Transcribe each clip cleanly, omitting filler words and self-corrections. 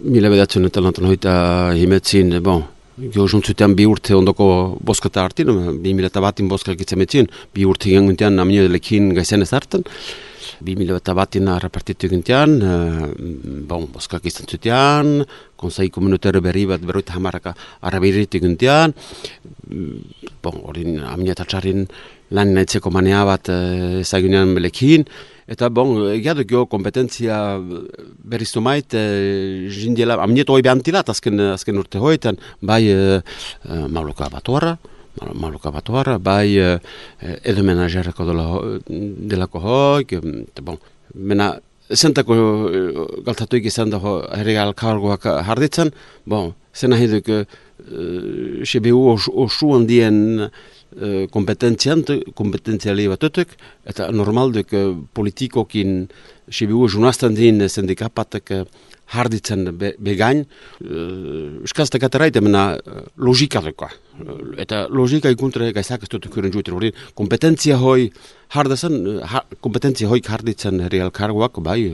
Mila bedatzen eta lantan hoita himetzin, jo juntzutean 2 urte ondoko boskata hartin, 2001 boskak itzametzin, 2 urte genguntean amnioelekin gaizen ez hartan, 2001 repartitu gintean, boskak izan zutean, konsei komunitario berri bat berroita hamaraka arabiritu gintean, horin amniatatxarin lan naitzeko manea bat ezagunean belekin, eta egiaduk jo kompetentzia berriztu mait, jindiela, amnieto hoi behantilat azken urte hoitan, bai Mauloka Batuarra, bai edo menagerako delako hoik, mena zentako galtatuik izan da herri alkargoak jarditzen, zena hiduk CBU osu handien kompetentziali batutuk, eta normalduk politikokin CBU junazten din sindikapatek harditzen begain, euskaztek ateraite mena logika duka. Eta logika ikuntre gaizak ez dut kuren juetan hori, kompetentzia hoi harditzen herri alkargoak, bai,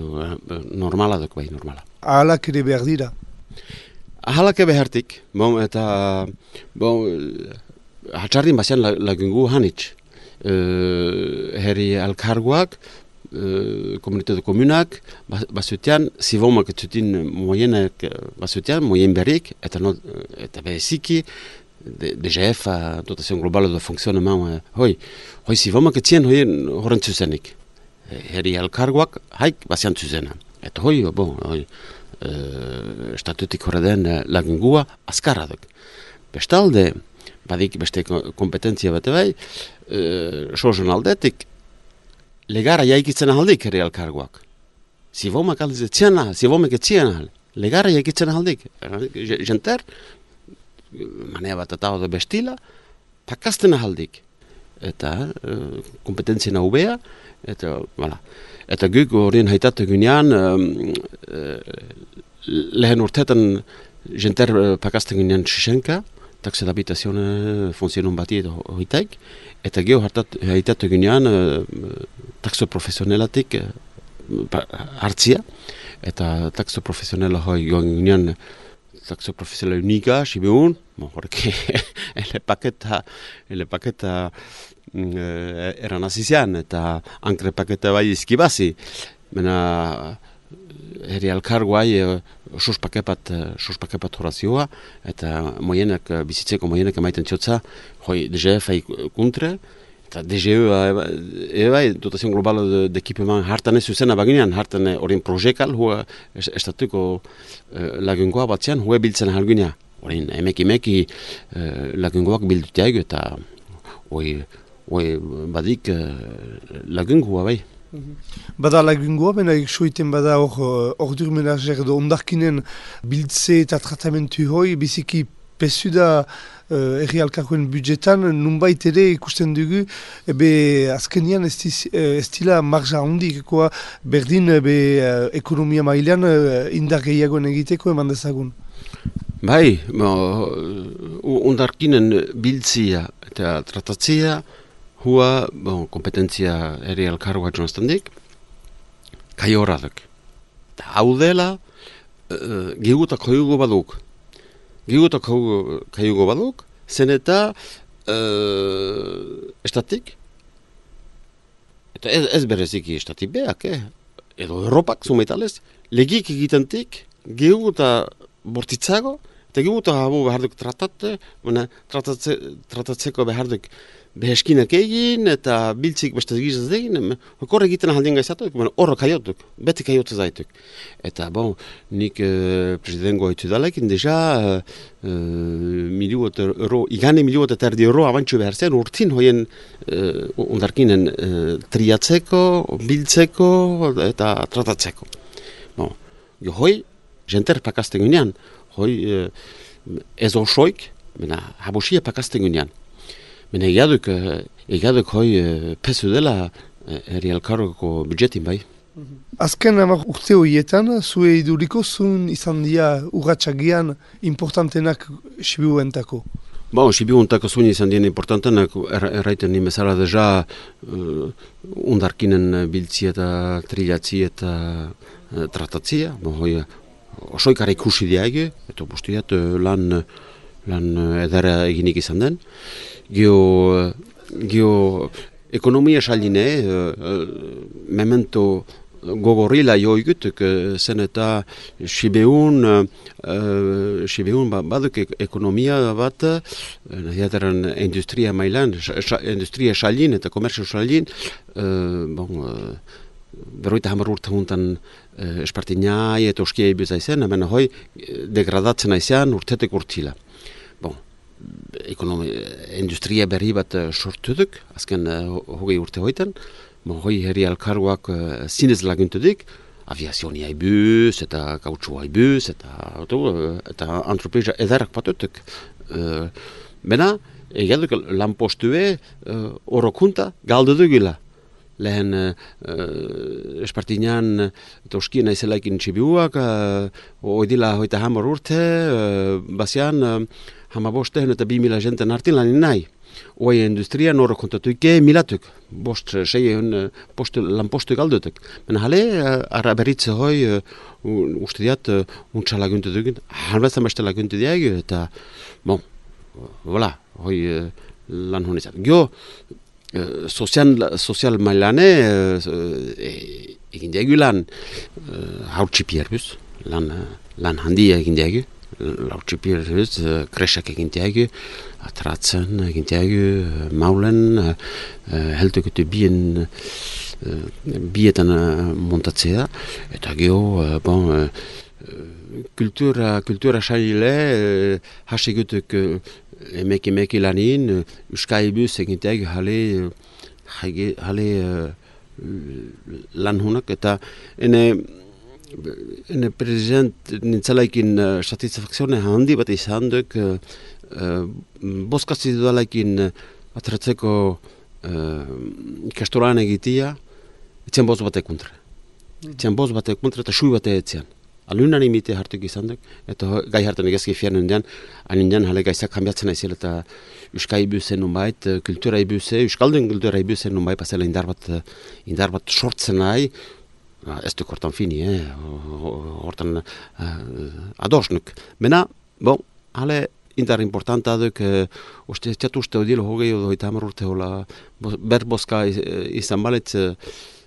normala duk, bai, normala. Ahalak ere behar dira? Ahalak behartik, eta, hatxardin bazian lagungu hanitz. Herri alkargoak, komunitate komunak, bazutean, zivomak etzutin moienek bazutean, moien berrik, eta beziki, DGF, Dotación Global de Fonctionnement, hoi zivomak etzien horren zuzenik. Herri alkargoak haik bazian zuzena. Eta hoi, estatutik horreden lagungua azkarra duk. Bestalde, badik beste kompetentzia bate bai, sozen aldetik, legara jaikitzen ahaldik herri alkargoak. Zivomak etzien ahal, legara jaikitzen ahaldik. Jenter, manea bat eta hau bestila, pakazten ahaldik. Eta kompetentzia naubea, eta guk horien haitatu gunean, lehen urtetan jenter pakazten gunean Txixenka, taxe d'habitazione funzionon bati hoitaik, eta geho haitatu gunean taxo profesionelatik hartzia, eta taxo profesionela hoi goen gunean taxo profesionela unika, sibiun, horrek ele paketa eran azizian, eta ankre paketa bai izkibazi, mena herri alkargoai suspakepat horazioa, eta bizitzeko moienek emaiten txotza, hoi DGF ikuntre, eta DGE bai, Dotación Global de Equipement hartan ez zuzena baginean, hartan horien projekal, hua estatuko lagungoa batzean, hua biltzen ahalgunea. Horien emeki lagungoak bildutiaik, eta hoi badik lagungua bai. Bada lagungoa, bena eksoiten bada ordur menager edo ondarkinen bildze eta tratamentu hoi, biziki pesu da herri alkargoen budjetan, nunbait ere ikusten dugu, azkenian ez dila marja hondik, berdin ekonomia mailean indar gehiagoen egiteko eman dezagun. Bai, ondarkinen biltzia eta tratatzia, hua, kompetentzia herri alkargoa jonaztendik, kai horraduk. Hau dela, gigutak hoiugo baduk. Gigutak hoiugo baduk, zen eta estatik, eta ez bereziki estatik beak, edo Europak zumeitalez, legik egitentik, giguta bortitzago, eta giguta habu beharduk tratatzeko beharduk beheskinak egin, eta biltzik beste gizaz egin, horre egiten ahaldien gaizatuk, horro kaiotuk, beti kaiotu zaituk. Eta, nik presidengoa hitu dalekin, deja, igane miliuot eta erdi euro abantxu behar zen, urtin hoien ondarkinen triatzeko, biltzeko, eta tratatzeko. Jo hoi, jenter pakazten gunean, hoi ez osoik, habusia pakazten gunean. Mena egaduk hoi pesu dela herri alkargoko budjetin bai. Azken urte horietan, zue iduriko zuen izan dira urratxagian importantenak Sibiuentako? Sibiuentako zuen izan dira importantenak, erraiten nimezala deja ondarkinen biltzi eta trilatzi eta tratatzia. Hoi osoikara ikusi diage, eta bustiat lan edara eginik izan den. Gio ekonomia saline, memento gogorrila joigutuk, zen eta Sibeun baduk ekonomia bat, nahiataren industria mailan, industria salin eta komerzio salin, berroita hamar urte juntan espartinai eta oskia ibuza izan, hemen hoi degradatzen aizean urtetek urtila. Industria berri bat sortu duk, azken hogei urte hoitan, hoi herri alkarguak zinez laguntudik, aviazionia ibuz, eta kautxua ibuz, eta antropeza edarak patutuk. Bena, egaduk lanpostue orokunta galdu dugila. Lehen espartinan toskien aizelaikin txibiuak, oidila hoita hamar urte, bazian hamabosten eta 2000 jenten artin lanin nahi. Oai industria noro kontatuik milatuk, lanpostu galdutuk. Mena hale, ara berritze hoi, uste diat, untsa laguntu dugun, hanbazan beste laguntu diag, eta, voilà, hoi lan honizat. Gio, sozial mailane egin diagu lan hautxipierbuz, lan handia egin diagu, hautxipierbuz, kresak egin diagu, atratzen egin diagu, maulen, heldukutu bietan montatzea, eta geho, kultura saile, hasigutuk emeki lanin, euskaibuz eginteak jale lan hunak, eta ene prezident nintzalaikin satisfakzione handi bat izan duk, boskazit dudalaikin atratzeko ikastoran egitia, etzen boz batek kontra. Eta sui batek etzean. Alunan imite hartuk izan duk, eta gai hartan egazki fianen dian, anindian hale gaizak kambiatzen aizela eta euskai ibuzen nunbait, kultura ibuze, euskaldun kultura ibuzen nunbait, pasela indar bat sortzen nahi, ez duk hortan fini, hortan adosnuk. Mena, hale indar importanta duk, txatu uste odilo hogei odo eta hamar urte hola, berboska izan baletz,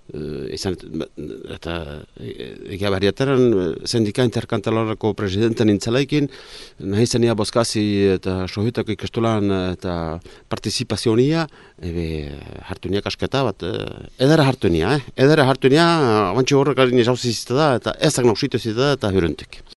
eta egia barriataren sindika interkantalarako presidenten nintzalaikin, nahi zenia boskazi eta sohutako ikastolan eta partizipazionia, hartu niak asketa bat, edera hartu nia, abantxe horrek alin izauzi zita da, eta ezak nausitu zita da, eta huruntik.